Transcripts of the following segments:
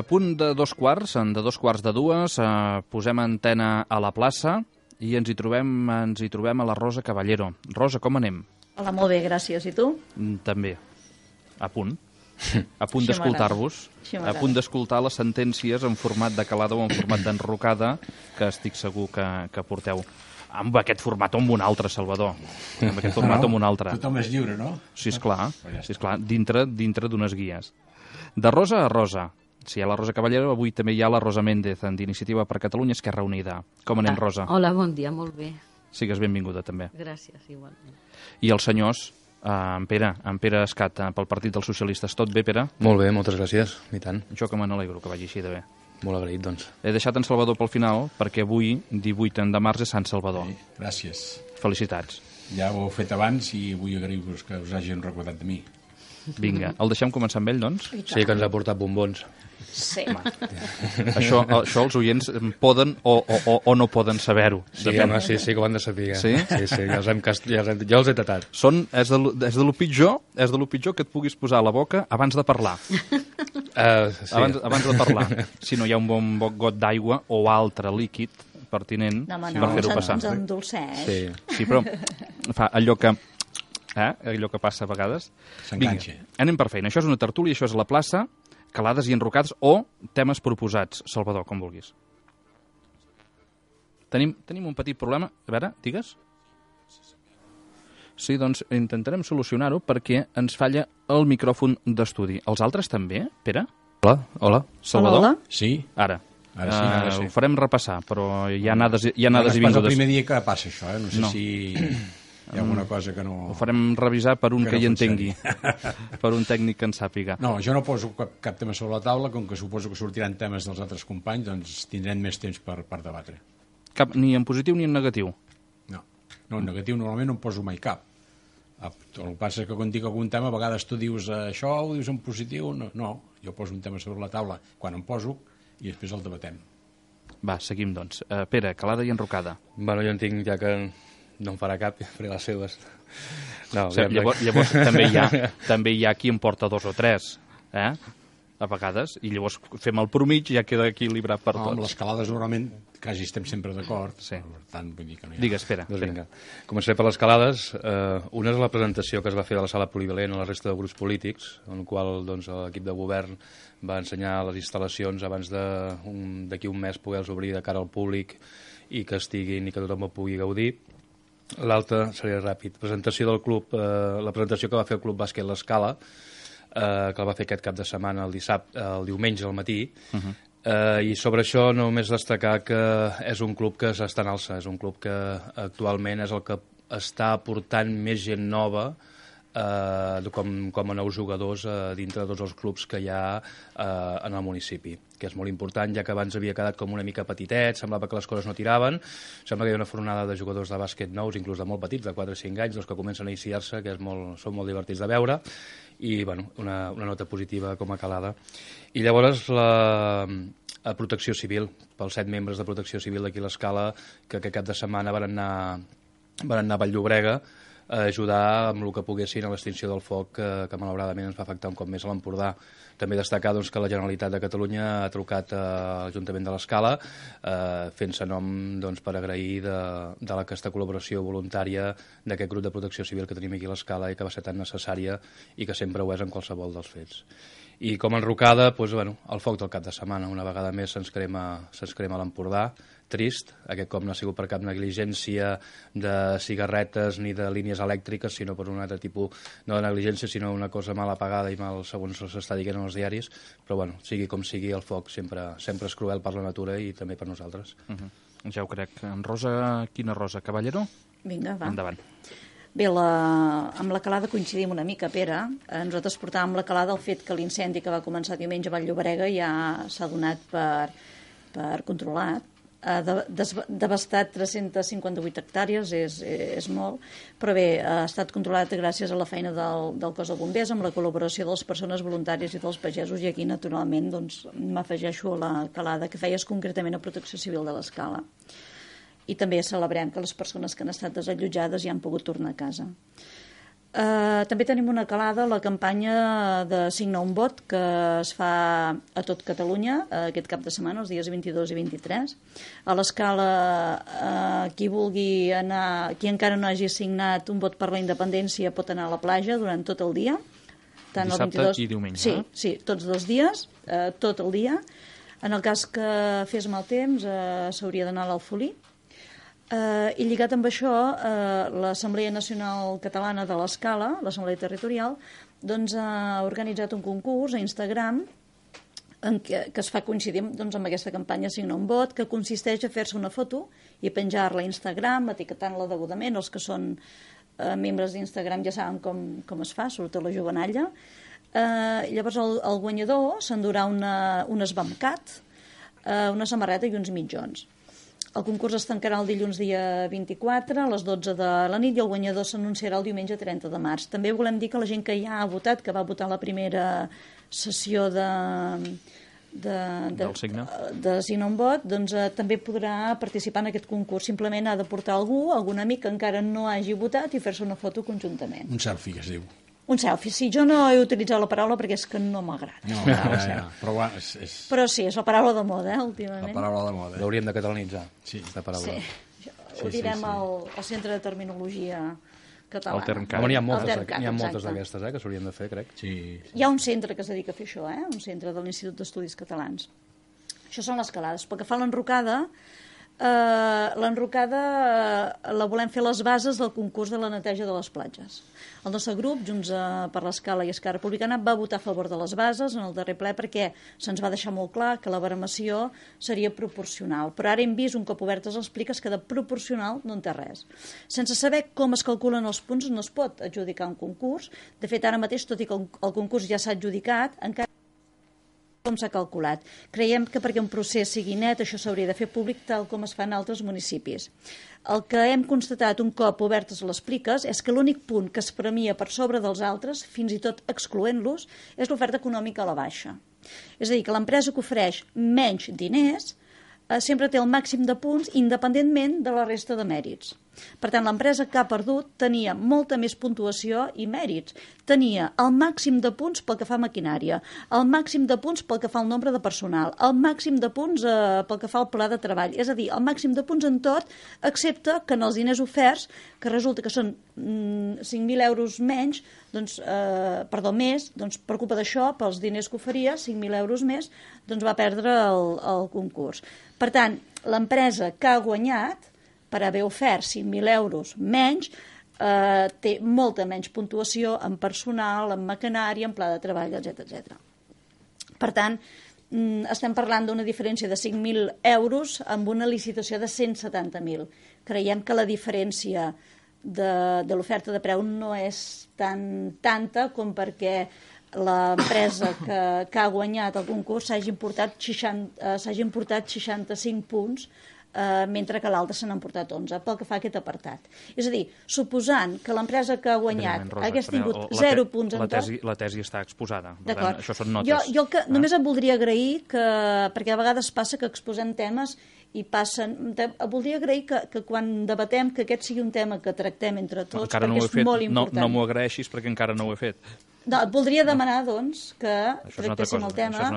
A punt de 2 quarts, de 2 quarts de 2, posem antena a la plaça i ens hi trobem a la Rosa Caballero. Rosa, com anem? Hola, molt bé, gràcies. I tu? També. A punt d'escoltar-vos, a punt d'escoltar les sentències en format de calada o en format d'enrocada, que estic segur que porteu. Amb aquest format o amb un altre, Salvador. Amb aquest format o amb un altre. Tothom és lliure, no? Sí, esclar, dintre d'unes guies. De rosa a rosa. Si hi ha la Rosa Caballero, avui també hi ha la Rosa Méndez, d'Iniciativa per Catalunya Esquerra Unida. Com anem, Rosa? Hola, bon dia, molt bé. Sigues benvinguda, també. Gràcies, igualment. I els senyors, en Pere Escat, pel Partit dels Socialistes. Tot bé, Pere? Molt bé, moltes gràcies, i tant. Jo que me n'alegro que vagi així de bé. Molt agraït, doncs. He deixat en Salvador pel final, perquè avui, 18 de març, és Sant Salvador. Sí, gràcies. Felicitats. Ja ho heu fet abans i vull agrair-vos que us hagin recordat de mi. Vinga, el deixem començar amb ell, doncs? Sí, que ens ha portat bombons. Sí. Això els oients poden o no poden saber-ho. Sí, home, sí, que ho han de saber. Sí? Sí, ja els he tatat. És de lo pitjor que et puguis posar a la boca abans de parlar. Sí. Abans de parlar. Si no hi ha un bon got d'aigua o altre líquid pertinent per fer-ho passar. Ens endolceix. Sí, però fa allò que passa a vegades. S'enganxa. Vinga, anem per feina. Això és una tertúlia, això és la plaça, calades i enrocades o temes proposats. Salvador, com vulguis. Tenim un petit problema. A veure, digues. Sí, doncs intentarem solucionar-ho perquè ens falla el micròfon d'estudi. Els altres també, Pere? Hola. Salvador? Hola. Sí? Ara sí. Ho farem repassar, però hi ha anades i És vingudes. el primer dia que passa això, No sé si hi ha alguna cosa que no... Ho farem revisar per un que hi entengui, per un tècnic que en sàpiga. No, jo no poso cap tema sobre la taula, com que suposo que sortiran temes dels altres companys, doncs tindrem més temps per debatre. Ni en positiu ni en negatiu? No, en negatiu normalment no en poso mai cap. El que passa és que quan dic algun tema, a vegades tu dius això, ho dius en positiu, no, jo poso un tema sobre la taula quan em poso i després el debatem. Va, seguim, doncs. Pere, calada i enrocada. Bueno, jo entenc ja que no em farà cap, faré les seves. No, llavors també hi ha qui en porta 2 o 3, a vegades, i llavors fem el promig i ja queda equilibrat per tots. Amb les calades normalment quasi estem sempre d'acord, sí. Per tant, vull dir que no hi ha... Digues, Pere. Doncs vinga. Començaré per les calades. Una és la presentació que es va fer de la sala polivalent a la resta de grups polítics, en la qual l'equip de govern va ensenyar les instal·lacions abans d'aquí un mes poder-les obrir de cara al públic i que estiguin i que tothom ho pugui gaudir. L'altra seria ràpid. Presentació del club, la presentació que va fer el Club Bàsquet L'Escala, que el va fer aquest cap de setmana, el diumenge al matí. I sobre això només destacar que és un club que s'està en alça, és un club que actualment és el que està aportant més gent nova com a nous jugadors dintre de tots els clubs que hi ha en el municipi, que és molt important, ja que abans havia quedat com una mica petitet, semblava que les coses no tiraven, sembla que hi ha una fornada de jugadors de bàsquet nous, inclús de molt petits, de 4 o 5 anys, que comencen a iniciar-se, que són molt divertits de veure, i bueno, una nota positiva com a calada. I llavors la Protecció Civil, pels 7 membres de Protecció Civil d'aquí a l'Escala, que aquest cap de setmana van anar a Vall-llobrega a ajudar amb el que poguessin a l'extinció del foc que malauradament ens va afectar un cop més a l'Empordà. També destacar que la Generalitat de Catalunya ha trucat a l'Ajuntament de l'Escala fent-se nom per agrair de aquesta col·laboració voluntària d'aquest grup de protecció civil que tenim aquí a l'Escala i que va ser tan necessària i que sempre ho és en qualsevol dels fets. I com a enrocada, el foc del cap de setmana. Una vegada més se'ns crema l'Empordà. Trist, aquest cop no ha sigut per cap negligència de cigarretes ni de línies elèctriques, sinó per un altre tipus, no de negligència, sinó una cosa mal apagada i mal, segons s'està dient en els diaris, però sigui com sigui, el foc sempre és cruel per la natura i també per nosaltres. Ja ho crec. En Rosa, quina Rosa? Caballero? Vinga, va. Endavant. Bé, amb la calada coincidim una mica, Pere. Nosaltres portàvem la calada el fet que l'incendi que va començar diumenge a Vall-llobrega ja s'ha donat per controlat. Ha devastat 358 hectàrees, és molt, però bé, ha estat controlat gràcies a la feina del cos de bombers, amb la col·laboració de les persones voluntàries i dels pagesos, i aquí naturalment m'afegeixo a la calada que feies concretament a Protecció Civil de l'Escala. I també celebrem que les persones que han estat desallotjades ja han pogut tornar a casa. També tenim una calada, la campanya de Signa un vot, que es fa a tot Catalunya aquest cap de setmana, els dies 22 i 23. A l'Escala, qui vulgui anar, qui encara no hagi signat un vot per la independència pot anar a la platja durant tot el dia. Tant Dissabte el 22... i diumenge. Sí, sí, tots 2 dies, tot el dia. En el cas que fes mal temps, s'hauria d'anar a l'Alfolí. I lligat amb això, l'Assemblea Nacional Catalana de l'Escala, l'Assemblea Territorial, doncs, ha organitzat un concurs a Instagram que es fa coincidir doncs, amb aquesta campanya Signa un vot, que consisteix a fer-se una foto i penjar-la a Instagram, etiquetant-la degudament. Els que són membres d'Instagram ja saben com es fa, sobretot la jovenalla. Llavors el guanyador s'endurà un esbamcat, una samarreta i uns mitjons. El concurs es tancarà el dilluns dia 24 a les 12 de la nit i el guanyador s'anunciarà el diumenge 30 de març. També volem dir que la gent que ja ha votat, que va votar la primera sessió del Signa un vot, doncs també podrà participar en aquest concurs. Simplement ha de portar algun amic que encara no hagi votat i fer-se una foto conjuntament. Un selfie, que es diu. Un selfie, sí. Jo no he utilitzat la paraula perquè és que no m'agrada. No, ja. Però sí, és la paraula de moda, últimament. La paraula de moda. L'hauríem de catalanitzar, sí. aquesta paraula. Sí, ho direm al Centre de Terminologia Catalana. El Termcat. N'hi ha moltes d'aquestes, que s'haurien de fer, crec. Sí. Hi ha un centre que es dedica a fer això, un centre de l'Institut d'Estudis Catalans. Això són les calades. Pel que fa a l'enrocada la volem fer les bases del concurs de la neteja de les platges. El nostre grup, Junts per l'Escala i Esquerra Republicana, va votar a favor de les bases en el darrer ple perquè se'ns va deixar molt clar que la baremació seria proporcional. Però ara hem vist, un cop obertes les pliques, que de proporcional no en té res. Sense saber com es calculen els punts no es pot adjudicar un concurs. De fet, ara mateix, tot i que el concurs ja s'ha adjudicat, encara com s'ha calculat. Creiem que perquè un procés sigui net això s'hauria de fer públic tal com es fa en altres municipis. El que hem constatat un cop obertes les pliques és que l'únic punt que es premia per sobre dels altres, fins i tot excloent-los, és l'oferta econòmica a la baixa. És a dir, que l'empresa que ofereix menys diners sempre té el màxim de punts independentment de la resta de mèrits. Per tant, l'empresa que ha perdut tenia molta més puntuació i mèrits. Tenia el màxim de punts pel que fa a maquinària, el màxim de punts pel que fa al nombre de personal, el màxim de punts pel que fa al pla de treball. És a dir, el màxim de punts en tot, excepte que en els diners oferts, que resulta que són 5.000 euros menys, més, per culpa d'això, pels diners que oferia, 5.000 euros més, doncs va perdre el concurs. Per tant, l'empresa que ha guanyat, per haver ofert 5.000 euros menys, té molta menys puntuació en personal, en maquinària, en pla de treball, etc. Per tant, estem parlant d'una diferència de 5.000 euros amb una licitació de 170.000. Creiem que la diferència de l'oferta de preu no és tanta com perquè l'empresa que ha guanyat el concurs s'hagi importat 65 punts, mentre que l'altre se n'han portat 11, pel que fa a aquest apartat. És a dir, suposant que l'empresa que ha guanyat hagués tingut 0 punts en tot... La tesi està exposada. D'acord. Això són notes. Jo només et voldria agrair perquè a vegades passa que exposem temes i passen... Voldria agrair que quan debatem que aquest sigui un tema que tractem entre tots, perquè és molt important. No m'ho agraeixis perquè encara no ho he fet. No, et voldria demanar, doncs, que tractéssim el tema. Això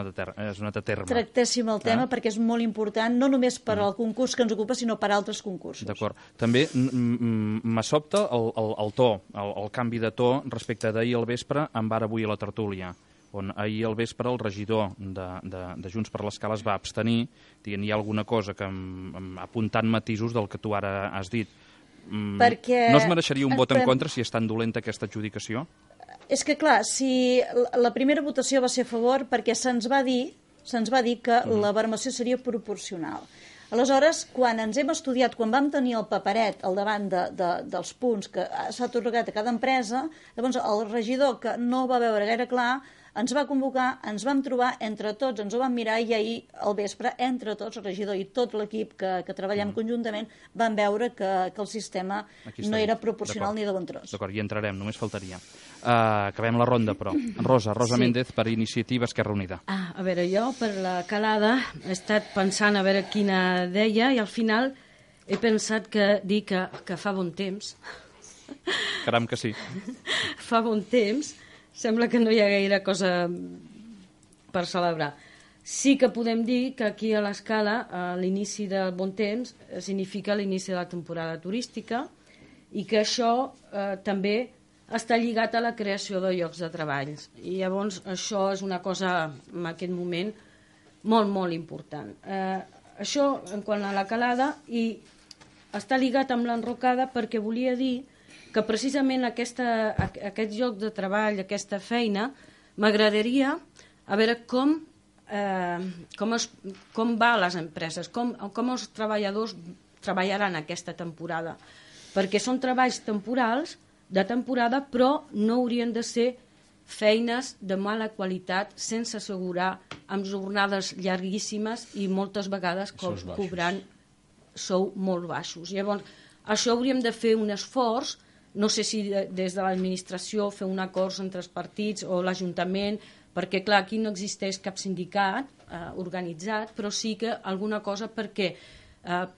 és un altre terme. Tractéssim el tema perquè és molt important, no només per al concurs que ens ocupa, sinó per a altres concursos. D'acord. També me sobta el to, el canvi de to respecte d'ahir al vespre amb ara avui a la tertúlia, on ahir al vespre el regidor de Junts per l'Escala es va abstenir, dient hi ha alguna cosa que apuntant matisos del que tu ara has dit. Perquè... No es mereixeria un vot en contra si és tan dolenta aquesta adjudicació? És que, clar, si la primera votació va ser a favor perquè se'ns va dir que la baremació seria proporcional. Aleshores, quan ens hem estudiat, quan vam tenir el paperet al davant dels punts que s'ha atorgat a cada empresa, llavors el regidor, que no va veure gaire clar, ens va convocar, ens vam trobar entre tots, ens ho vam mirar i ahir al vespre, entre tots, el regidor i tot l'equip que treballem conjuntament, vam veure que el sistema no era proporcional ni de bon tros. D'acord, hi entrarem, només faltaria. Acabem la ronda, però. Rosa Méndez, per Iniciativa Esquerra Unida. A veure, jo per la calada he estat pensant a veure quina deia i al final he pensat que dir que fa bon temps Caram que sí. Fa bon temps, sembla que no hi ha gaire cosa per celebrar. Sí que podem dir que aquí a l'Escala l'inici del bon temps significa l'inici de la temporada turística i que això també està lligat a la creació de llocs de treball. I llavors això és una cosa en aquest moment molt, molt important. Això en quant a la calada i està lligat amb l'enrocada perquè volia dir que precisament aquest lloc de treball, aquesta feina, m'agradaria a veure com va a les empreses, com els treballadors treballaran aquesta temporada, perquè són treballs temporals, de temporada, però no haurien de ser feines de mala qualitat, sense assegurar, amb jornades llarguíssimes i moltes vegades cobrant sou molt baixos. Llavors, això hauríem de fer un esforç, no sé si des de l'administració fer un acord entre els partits o l'Ajuntament, perquè clar, aquí no existeix cap sindicat organitzat, però sí que alguna cosa perquè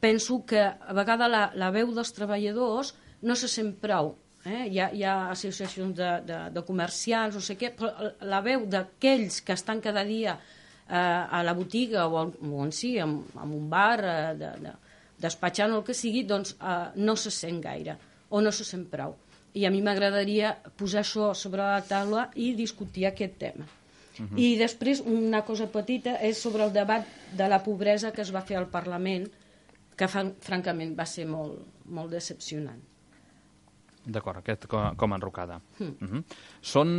penso que a vegades la veu dels treballadors no se sent prou. Hi ha associacions de comercials, no sé què, però la veu d'aquells que estan cada dia a la botiga o en si, en un bar, despatxant o el que sigui, doncs no se sent gaire o no se sent prou. I a mi m'agradaria posar això sobre la taula i discutir aquest tema. I després una cosa petita és sobre el debat de la pobresa que es va fer al Parlament, que francament va ser molt, molt decepcionant. D'acord, aquest com a enrocada. Són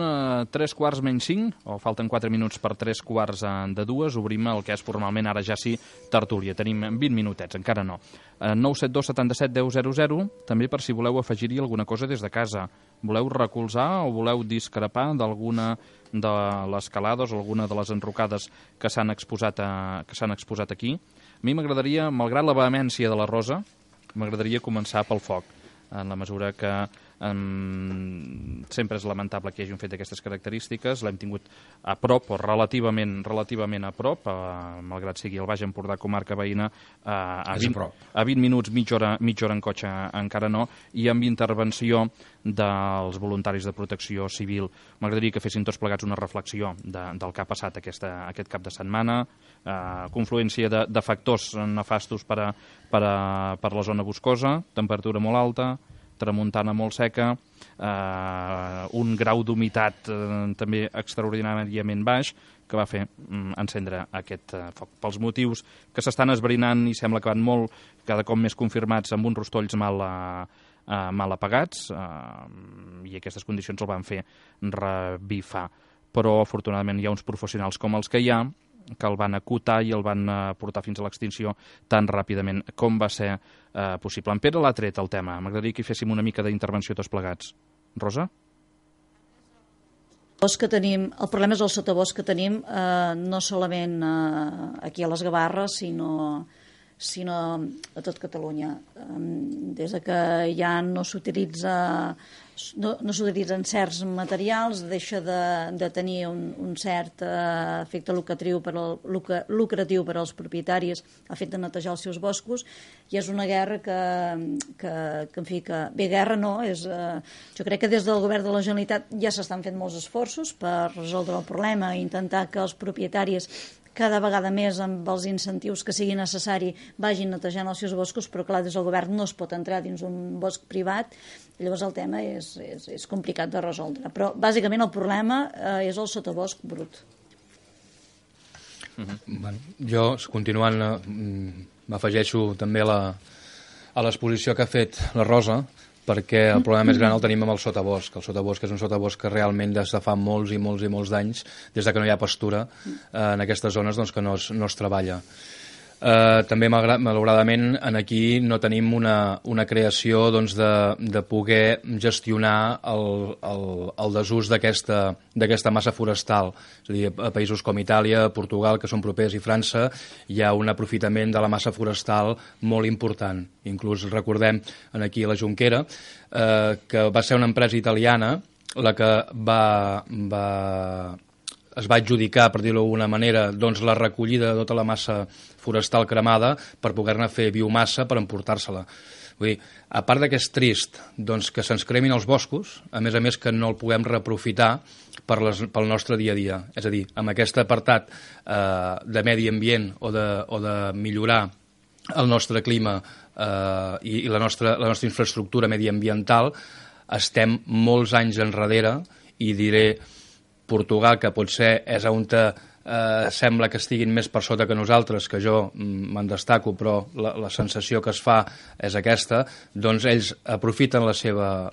3:45, o falten 4 minuts per 3:45, obrim el que és formalment ara ja sí tertúlia. Tenim 20 minutets, encara no. 972 77 10 00, també per si voleu afegir-hi alguna cosa des de casa. Voleu recolzar o voleu discrepar d'alguna de les calades o alguna de les enrocades que s'han exposat aquí? A mi m'agradaria, malgrat la vehemència de la Rosa, m'agradaria començar pel foc, en la mesura que sempre és lamentable que hi hagi un fet d'aquestes característiques. L'hem tingut a prop, o relativament a prop, malgrat sigui el Baix Empordà, comarca veïna, a 20 minuts, mitja hora en cotxe encara no, i amb intervenció dels voluntaris de protecció civil. M'agradaria que fessin tots plegats una reflexió del que ha passat aquest cap de setmana, confluència de factors nefastos per a la zona boscosa, temperatura molt alta, tramuntana molt seca, un grau d'humitat també extraordinàriament baix, que va fer encendre aquest foc. Pels motius que s'estan esbrinant i sembla que van molt, cada cop més confirmats, amb uns rostolls mal apagats, i aquestes condicions el van fer revifar. Però, afortunadament, hi ha uns professionals com els que hi ha, que el van acotar i el van portar fins a l'extinció tan ràpidament com va ser possible. En Pere l'ha tret el tema. M'agradaria que hi féssim una mica d'intervenció tots plegats. Rosa? El problema és el sotabosc que tenim, no solament aquí a les Gavarres, sinó a tot Catalunya. Des que ja no s'utilitzen certs materials, deixa de tenir un cert efecte lucratiu per als propietaris a fet de netejar els seus boscos, i és una guerra bé, guerra no, jo crec que des del govern de la Generalitat ja s'estan fent molts esforços per resoldre el problema i intentar que els propietaris cada vegada més amb els incentius que sigui necessari vagin netejant els seus boscos, però clar, des del govern no es pot entrar dins un bosc privat, i llavors el tema és complicat de resoldre. Però bàsicament el problema és el sotabosc brut. Jo, continuant, m'afegeixo també a l'exposició que ha fet la Rosa, perquè el problema més gran el tenim amb el sotabosc. El sotabosc és un sotabosc que realment des de fa molts i molts d'anys, des de que no hi ha pastura en aquestes zones, doncs que no es treballa. També, malauradament, aquí no tenim una creació de poder gestionar el desús d'aquesta massa forestal. És a dir, a països com Itàlia, Portugal, que són propers, i França, hi ha un aprofitament de la massa forestal molt important. Inclús recordem aquí a la Jonquera, que va ser una empresa italiana la que va es va adjudicar, per dir-ho d'alguna manera, doncs la recollida de tota la massa forestal cremada per poder-ne fer biomassa per emportar-se-la. Vull dir, a part que és trist doncs, que se'ns cremin els boscos, a més que no el puguem reaprofitar pel nostre dia a dia. És a dir, amb aquest apartat de medi ambient o de millorar el nostre clima i la nostra infraestructura mediambiental, estem molts anys enrere, i diré Portugal, que potser és on sembla que estiguin més per sota que nosaltres, que jo me'n destaco, però la sensació que es fa és aquesta, doncs ells aprofiten la seva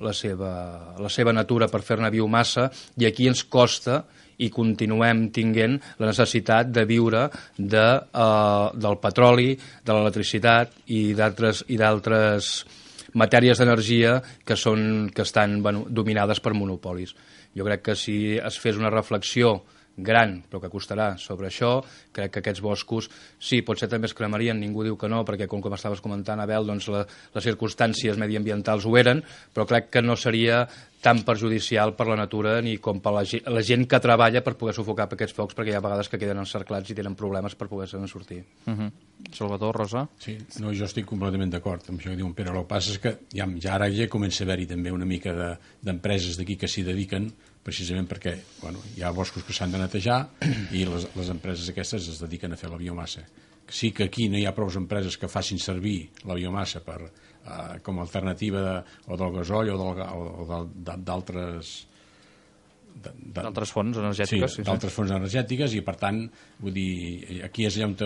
natura per fer-ne biomassa, i aquí ens costa i continuem tinguent la necessitat de viure del petroli, de l'electricitat i d'altres matèries d'energia que estan dominades per monopolis. Jo crec que si es fes una reflexió gran, però que costarà sobre això, crec que aquests boscos, sí, potser també es cremarien, ningú diu que no, perquè com estaves comentant, Abel, doncs les circumstàncies mediambientals ho eren, però crec que no seria tan perjudicial per la natura ni com per la gent que treballa per poder sufocar aquests focs, perquè hi ha vegades que queden encerclats i tenen problemes per poder-se'n sortir. Salvador, Rosa? Sí, no, jo estic completament d'acord amb això que diu en Pere. El que passa és que ja ara ja comença a haver-hi també una mica d'empreses d'aquí que s'hi dediquen, precisament perquè hi ha boscos que s'han de netejar i les empreses aquestes es dediquen a fer la biomassa. Sí que aquí no hi ha prou empreses que facin servir la biomassa com a alternativa o del gasoll o d'altres fonts energètiques. Sí, d'altres fonts energètiques, i per tant, vull dir, aquí és allà on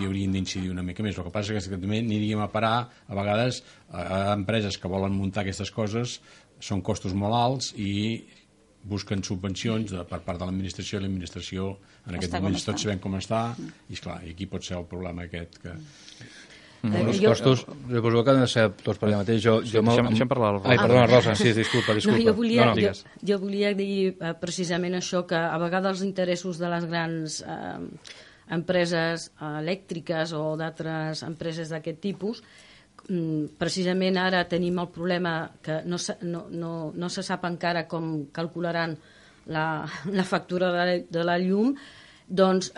hauríem d'incidir una mica més. El que passa és que també aniríem a parar a vegades a empreses que volen muntar aquestes coses, són costos molt alts i busquen subvencions per part de l'administració, i l'administració en aquest moment tots sabem com està, i esclar, aquí pot ser el problema aquest que... Els costos, jo suposo que han de ser tots per allà mateix. Deixem parlar la Rosa. Ai, perdona, Rosa, sí, disculpa. Jo volia dir precisament això, que a vegades els interessos de les grans empreses elèctriques o d'altres empreses d'aquest tipus, precisament ara tenim el problema que no se sap encara com calcularan la factura de la llum, doncs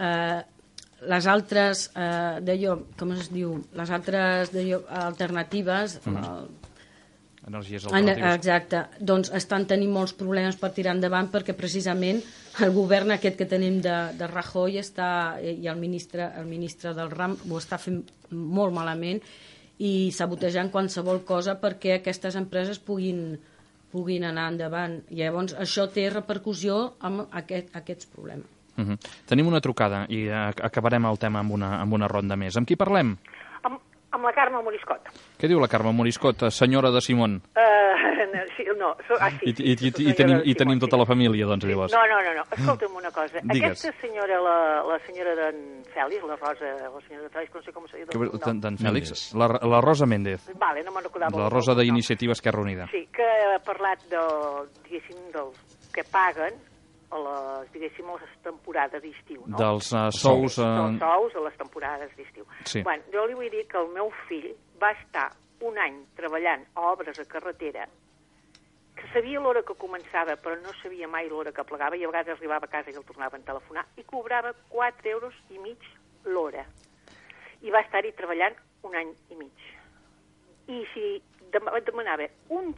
les altres alternatives, energies alternatives, exacte, doncs estan tenint molts problemes per tirar endavant, perquè precisament el govern aquest que tenim de Rajoy i el ministre del RAM ho està fent molt malament i sabotejant qualsevol cosa perquè aquestes empreses puguin anar endavant. I llavors això té repercussió en aquests problemes. Tenim una trucada i acabarem el tema amb una ronda més. Amb qui parlem? Amb la Carme Moriscot. Què diu la Carme Moriscot, senyora de Simón? Sí, no, sí. I tenim tota la família, doncs, llavors. No. Escolta'm una cosa. Digues. Aquesta senyora, la senyora d'en Fèlix, la Rosa, la senyora de Fèlix, no sé com se diu. D'en Fèlix? La Rosa Méndez. Vale, no me'n recordava. La Rosa d'Iniciativa Esquerra Unida. Sí, que ha parlat diguéssim, del que paguen a les temporades d'estiu, no? Dels sous... Dels sous a les temporades d'estiu. Sí. Bueno, jo li vull dir que el meu fill va estar un any treballant a obres a carretera, que sabia l'hora que començava, però no sabia mai l'hora que plegava, i a vegades arribava a casa i el tornaven a telefonar, i cobrava 4,5 € l'hora. I va estar-hi treballant un any i mig. I si demanava dir, home,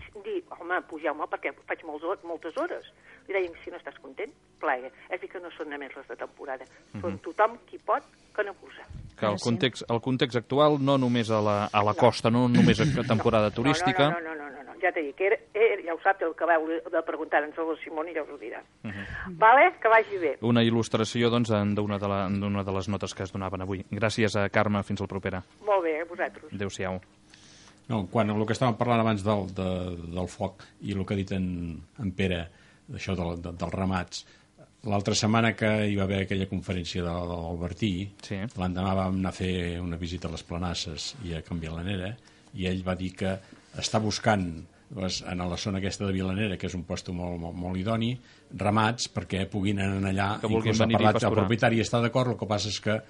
pugeu-me perquè faig moltes hores, li deien, si no estàs content, plega. És a dir, que no són només les de temporada, són tothom qui pot que n'abusa. Que el context actual, no només a la costa, no només a temporada turística... No, ja t'he dit, ja ho sap, el que vau de preguntar-nos a la Simona i ja us ho dirà. Vale? Que vagi bé. Una il·lustració, doncs, d'una de les notes que es donaven avui. Gràcies, Carme, fins al propera. Molt bé, a vosaltres. Adéu-siau. No, quan el que estàvem parlant abans del foc i el que ha dit en Pere, d'això dels ramats, l'altra setmana que hi va haver aquella conferència de l'Albertí, sí, l'endemà vam anar a fer una visita a les Planasses i a Can Vilanera, i ell va dir que està buscant en la zona aquesta de Vilanera, que és un lloc molt idoni, ramats perquè puguin anar allà, inclús ha parlat el propietari, està d'acord, el que passa és que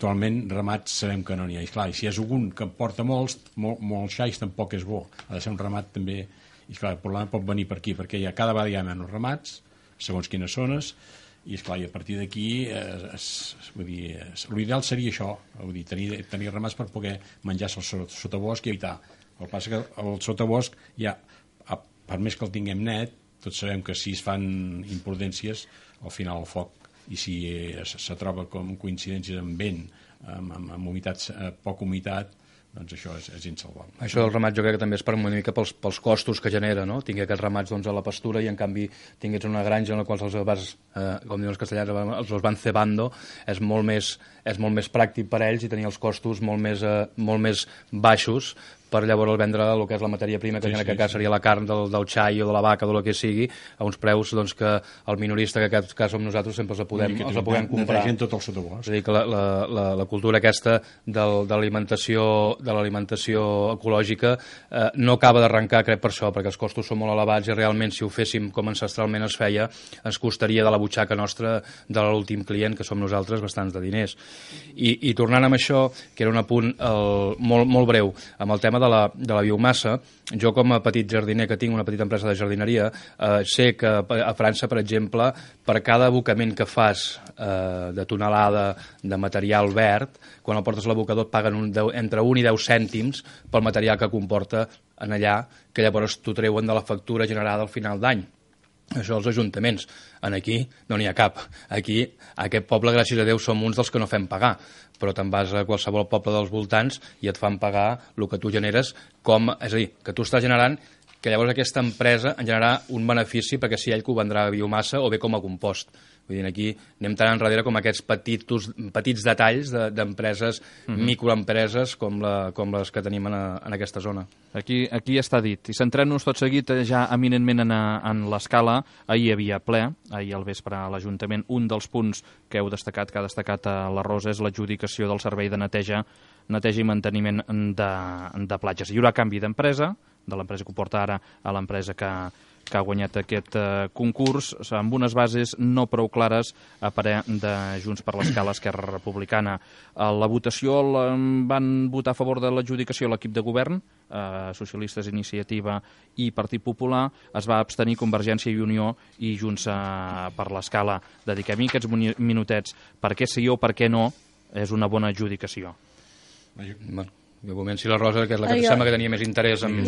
actualment ramats sabem que no n'hi ha. I clar, si és algun que en porta molts xais tampoc és bo. Ha de ser un ramat també. I clar, el problema pot venir per aquí, perquè cada vegada hi ha menys ramats, segons quines zones, I, esclar, i a partir d'aquí l'ideal seria això, vull dir, tenir ramats per poder menjar-se el sotabosc i evitar. El que passa que el sotabosc ja, per més que el tinguem net, tots sabem que si es fan imprudències, al final el foc, i si se troba com coincidències amb vent, amb humitat, poca humitat, doncs això és insalvable. Això del ramat jo crec que també és per una mica pels costos que genera, no? Tingui aquests ramats a la pastura i en canvi tingués una granja en la qual els vas, com diuen els castellans, els van cebando, és molt més pràctic per a ells i tenir els costos molt més baixos per llavors vendre el que és la matèria prima, que en aquest cas seria la carn del xai o de la vaca o del que sigui, a uns preus doncs, que el minorista, que en aquest cas som nosaltres, sempre els podem comprar. Tot el sotabosc. És a dir, que la cultura aquesta de l'alimentació ecològica no acaba d'arrencar, crec, per això, perquè els costos són molt elevats i realment si ho féssim com ancestralment es feia, ens costaria de la butxaca nostra de l'últim client, que som nosaltres, bastants de diners. I tornant amb això, que era un apunt molt breu, amb el tema de la biomassa, jo com a petit jardiner que tinc una petita empresa de jardineria, sé que a França, per exemple, per cada abocament que fas de tonelada de material verd, quan el portes a l'abocador et paguen entre 1 i 10 cèntims pel material que comporta en allà, que llavors t'ho treuen de la factura generada al final d'any. Això els ajuntaments. Aquí no n'hi ha cap. Aquí, a aquest poble, gràcies a Déu, som uns dels que no fem pagar, però te'n vas a qualsevol poble dels voltants i et fan pagar el que tu generes, és a dir, que tu estàs generant que llavors aquesta empresa en generarà un benefici perquè si ell que ho vendrà a biomassa o bé com a compost. Vull dir, aquí anem tan enrere com aquests petits detalls d'empreses, microempreses com les que tenim en aquesta zona. Aquí està dit. I centrant-nos tot seguit ja eminentment en l'escala, ahir hi havia ple, ahir al vespre a l'Ajuntament, un dels punts que heu destacat, que ha destacat la Rosa, és l'adjudicació del servei de neteja i manteniment de platges. Hi haurà canvi d'empresa, de l'empresa que ho porta ara a l'empresa que ha guanyat aquest concurs, amb unes bases no prou clares a parer de Junts per l'Escala, Esquerra Republicana. La votació van votar a favor de l'adjudicació a l'equip de govern, Socialistes, Iniciativa i Partit Popular, es va abstenir Convergència i Unió i Junts per l'Escala. Dediquem-hi aquests minutets. Per què sí o per què no és una bona adjudicació? De moment, si la Rosa, que és la que sembla que tenia més interès en...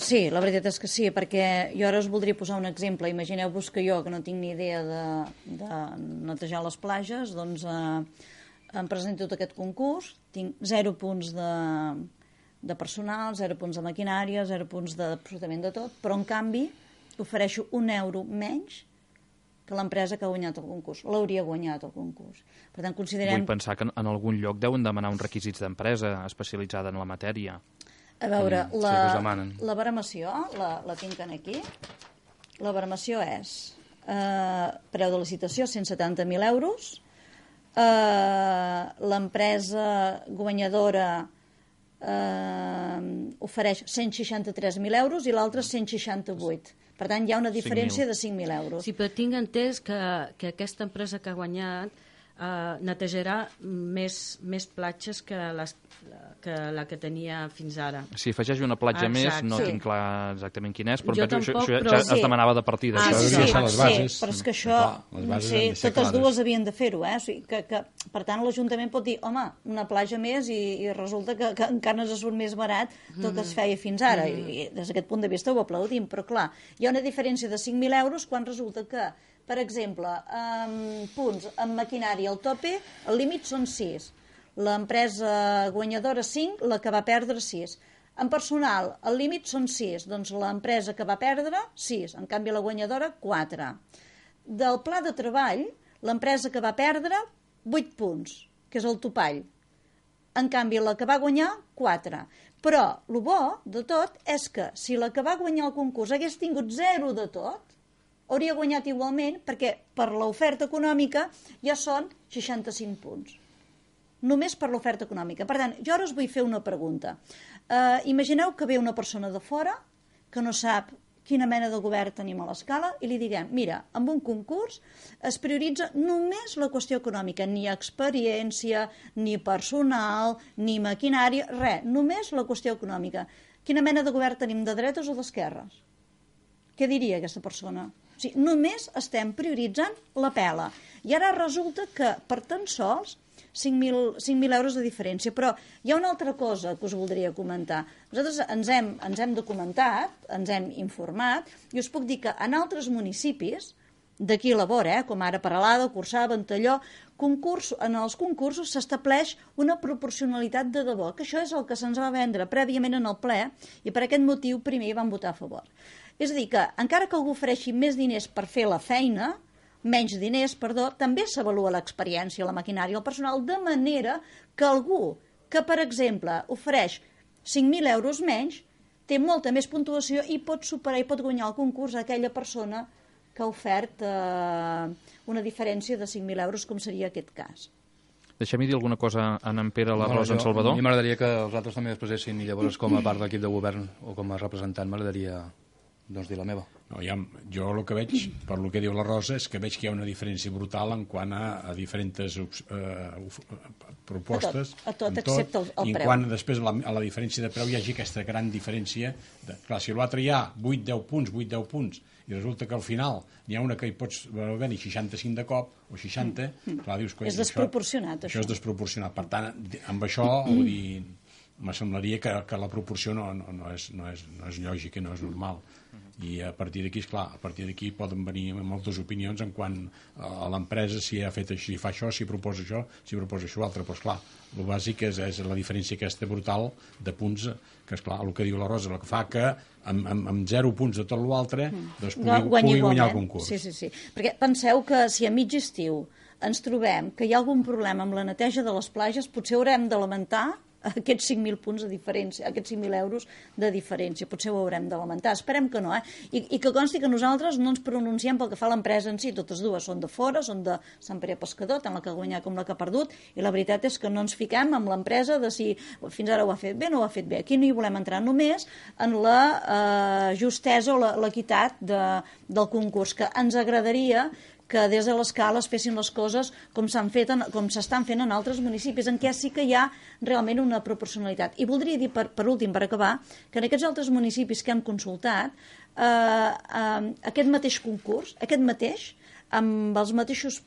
Sí, la veritat és que sí, perquè jo ara us voldria posar un exemple. Imagineu-vos que jo, que no tinc ni idea de netejar les platges, doncs em presento tot aquest concurs, tinc 0 punts de personal, 0 punts de maquinària, 0 punts d'absolutament de tot, però en canvi ofereixo €1 menys que l'empresa que ha guanyat el concurs. L'hauria guanyat el concurs. Per tant, considerem... Vull pensar que en algun lloc deuen demanar uns requisits d'empresa especialitzada en la matèria. A veure, la baremació, la tinc aquí. La baremació és preu de licitació, 170.000 euros. L'empresa guanyadora ofereix 163.000 euros i l'altra 168. Per tant, hi ha una diferència de 5.000 euros. Sí, però tinc entès que aquesta empresa que ha guanyat netejarà més platges que la que tenia fins ara. Si afegeix una platja més, no tinc clar exactament quin és, però això ja es demanava de partida. Sí, però és que això, totes dues havien de fer-ho, O sigui, per tant, l'Ajuntament pot dir, home, una platja més i resulta que encara no surt més barat del que es feia fins ara. I des d'aquest punt de vista ho aplaudim, però clar, hi ha una diferència de 5.000 euros quan resulta que, per exemple, punts amb maquinària al tope, el límit són 6. L'empresa guanyadora 5, la que va perdre 6. En personal, el límit són 6, doncs l'empresa que va perdre 6, en canvi la guanyadora 4. Del pla de treball, l'empresa que va perdre 8 punts, que és el topall. En canvi, la que va guanyar 4. Però el bo de tot és que si la que va guanyar el concurs hagués tingut 0 de tot, hauria guanyat igualment perquè per l'oferta econòmica ja són 65 punts. Només per l'oferta econòmica. Per tant, jo ara us vull fer una pregunta. Imagineu que ve una persona de fora que no sap quina mena de govern tenim a l'Escala i li diguem, mira, amb un concurs es prioritza només la qüestió econòmica, ni experiència, ni personal, ni maquinària, res, només la qüestió econòmica. Quina mena de govern tenim, de dretes o d'esquerres? Què diria aquesta persona? O sigui, només estem prioritzant la pela. I ara resulta que per tan sols 5.000 euros de diferència. Però hi ha una altra cosa que us voldria comentar. Nosaltres ens hem documentat, ens hem informat, i us puc dir que en altres municipis d'aquí a la vora, com ara Peralada, Corçà, Ventalló, en els concursos s'estableix una proporcionalitat de debò, que això és el que se'ns va vendre prèviament en el ple, i per aquest motiu primer hi van votar a favor. És a dir, que encara que algú ofereixi més diners per fer la feina, menys diners, perdó, també s'avalua l'experiència, la maquinària, el personal, de manera que algú que, per exemple, ofereix 5.000 euros menys, té molta més puntuació i pot superar i pot guanyar el concurs a aquella persona que ha ofert una diferència de 5.000 euros, com seria aquest cas. Deixem-hi dir alguna cosa en Pere, la Rosa, en Salvador. A mi m'agradaria que els altres també expressessin, i llavors com a part de l'equip de govern o com a representant m'agradaria dir la meva. No, jo el que veig, per lo que diu la Rosa, és que veig que hi ha una diferència brutal en quant a diferents propostes. A tot excepte el preu. I en quant després a la diferència de preu hi hagi aquesta gran diferència. Clar, si l'altre hi ha 8-10 punts, i resulta que al final n'hi ha una que hi pots venir 65 de cop, o 60, clar, dius... És desproporcionat, això. Això és desproporcionat. Per tant, amb això, vull dir, me semblaria que la proporció no és lògica, no és normal. I a partir d'aquí, esclar, a partir d'aquí poden venir moltes opinions en quant a l'empresa, si ha fet així, si fa això, si proposa això, si proposa això altre. Però, esclar, el bàsic és la diferència aquesta brutal de punts, que, esclar, el que diu la Rosa, el que fa que amb 0 punts de tot l'altre doncs pugui guanyar el concurs. Sí. Perquè penseu que si a mig estiu ens trobem que hi ha algun problema amb la neteja de les platges, potser haurem de lamentar aquests 5.000 punts de diferència, aquests 5.000 euros de diferència. Potser ho haurem de lamentar. Esperem que no, I que consti que nosaltres no ens pronunciem pel que fa a l'empresa en si. Totes dues són de fora, són de Sant Pere Pescador, tant la que ha guanyat com la que ha perdut, i la veritat és que no ens fiquem amb l'empresa de si fins ara ho ha fet bé o no ho ha fet bé. Aquí no hi volem entrar només en la justesa o l'equitat del concurs, que ens agradaria que des de l'escala es fessin les coses com s'estan fent en altres municipis, en què sí que hi ha realment una proporcionalitat. I voldria dir, per últim, per acabar, que en aquests altres municipis que hem consultat, aquest mateix concurs, amb els mateixos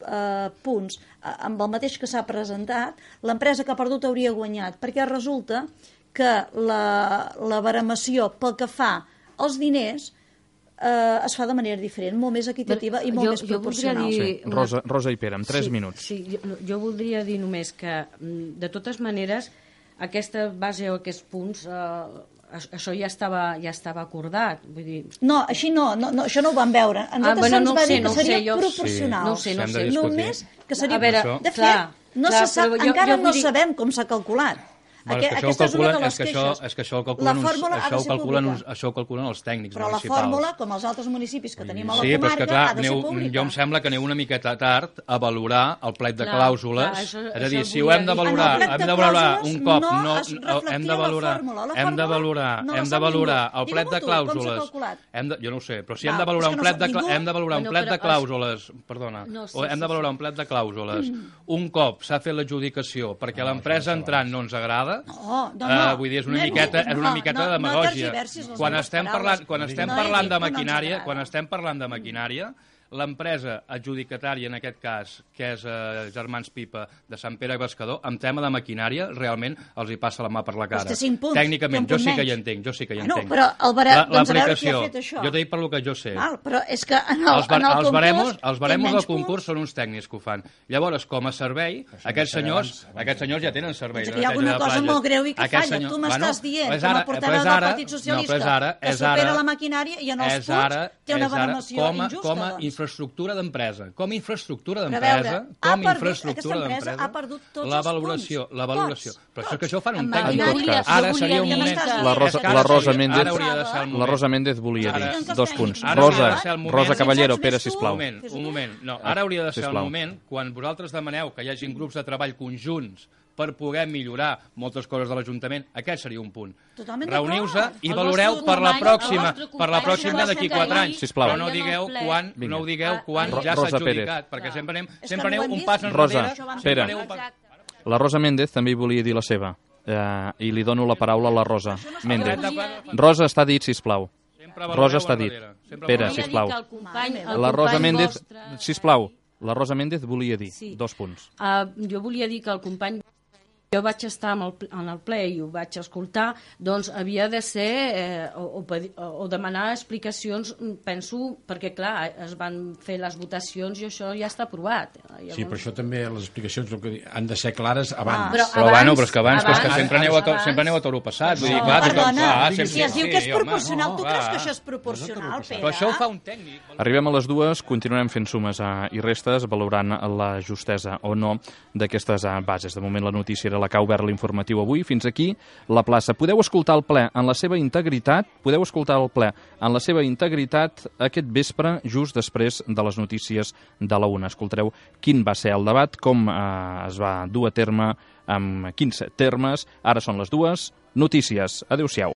punts, amb el mateix que s'ha presentat, l'empresa que ha perdut hauria guanyat, perquè resulta que la baremació pel que fa als diners es fa de manera diferent, molt més equitativa i molt més proporcional. Rosa i Pere, en 3 minuts. Sí, jo voldria dir només que, de totes maneres, aquesta base o aquests punts, això ja estava acordat. Vull dir... No, així no, això no ho vam veure. A nosaltres se'ns va dir que seria proporcional. No sé. Només que seria... De fet, encara no sabem com s'ha calculat. Aquesta és una de les queixes. És que això ho calculen els tècnics municipals. Però la fórmula, com els altres municipis que tenim a la comarca, ha de ser pública. Jo em sembla que aneu una miqueta tard a valorar el plec de clàusules. És a dir, si ho hem de valorar un cop, hem de valorar el plec de clàusules. Jo no ho sé, però si hem de valorar un plec de clàusules, perdona, hem de valorar un plec de clàusules un cop s'ha fet l'adjudicació perquè l'empresa entrant no ens agrada. Vull dir, és una miqueta de demagògia. Quan estem parlant de maquinària, l'empresa adjudicatària, en aquest cas, que és Germans Pipa de Sant Pere Pescador, en tema de maquinària, realment els hi passa la mà per la cara. Tècnicament, jo sí que hi entenc. Però el barem, doncs a veure qui ha fet això. Jo t'he dit per lo que jo sé. Però és que en el concurs... Els baremos del concurs són uns tècnics que ho fan. Llavors, com a servei, aquests senyors ja tenen servei. Hi ha alguna cosa molt greu i que falla. Tu m'estàs dient, com a portaveu del Partit Socialista, que supera la maquinària i en els punts té una baremació injusta. Infraestructura d'empresa. Com a infraestructura d'empresa, ha perdut tots la valoració. Però això és que això ho fan un tècnic. Ara seria un moment... La Rosa Méndez volia dir 2 punts. Rosa Caballero, Pere, sisplau. Un moment. No, ara hauria de ser el moment, quan vosaltres demaneu que hi hagin grups de treball conjunts per poder millorar moltes coses de l'Ajuntament, aquest seria un punt. Reuniu-se i valoreu per la pròxima d'aquí 4 anys. Però no digueu quan ja s'ha adjudicat, perquè sempre aneu un pas enrere. Pere, la Rosa Méndez també hi volia dir la seva, i li dono la paraula a la Rosa Méndez. Rosa, està dit, sisplau. Rosa està dit. Pere, sisplau. La Rosa Méndez, sisplau, la Rosa Méndez volia dir 2 punts. Jo volia dir que el company... Jo vaig estar en el ple i ho vaig escoltar, doncs havia de ser o demanar explicacions, penso, perquè clar, es van fer les votacions i això ja està aprovat. Llavors... Sí, però això també, les explicacions han de ser clares abans. Però és que abans sempre aneu a toro passat. Vull dir, clar, si es diu que és proporcional, tu creus que això és proporcional, Pere? Però això ho fa un tècnic. Arribem a les 2, continuarem fent sumes i restes, valorant la justesa o no d'aquestes bases. De moment la notícia era la que ha obert l'informatiu avui. Fins aquí la plaça. Podeu escoltar el ple en la seva integritat, aquest vespre, just després de les notícies de la 1. Escoltareu quin va ser el debat, com es va dur a terme, amb quins termes. Ara són les 2. Notícies. Adéu-siau.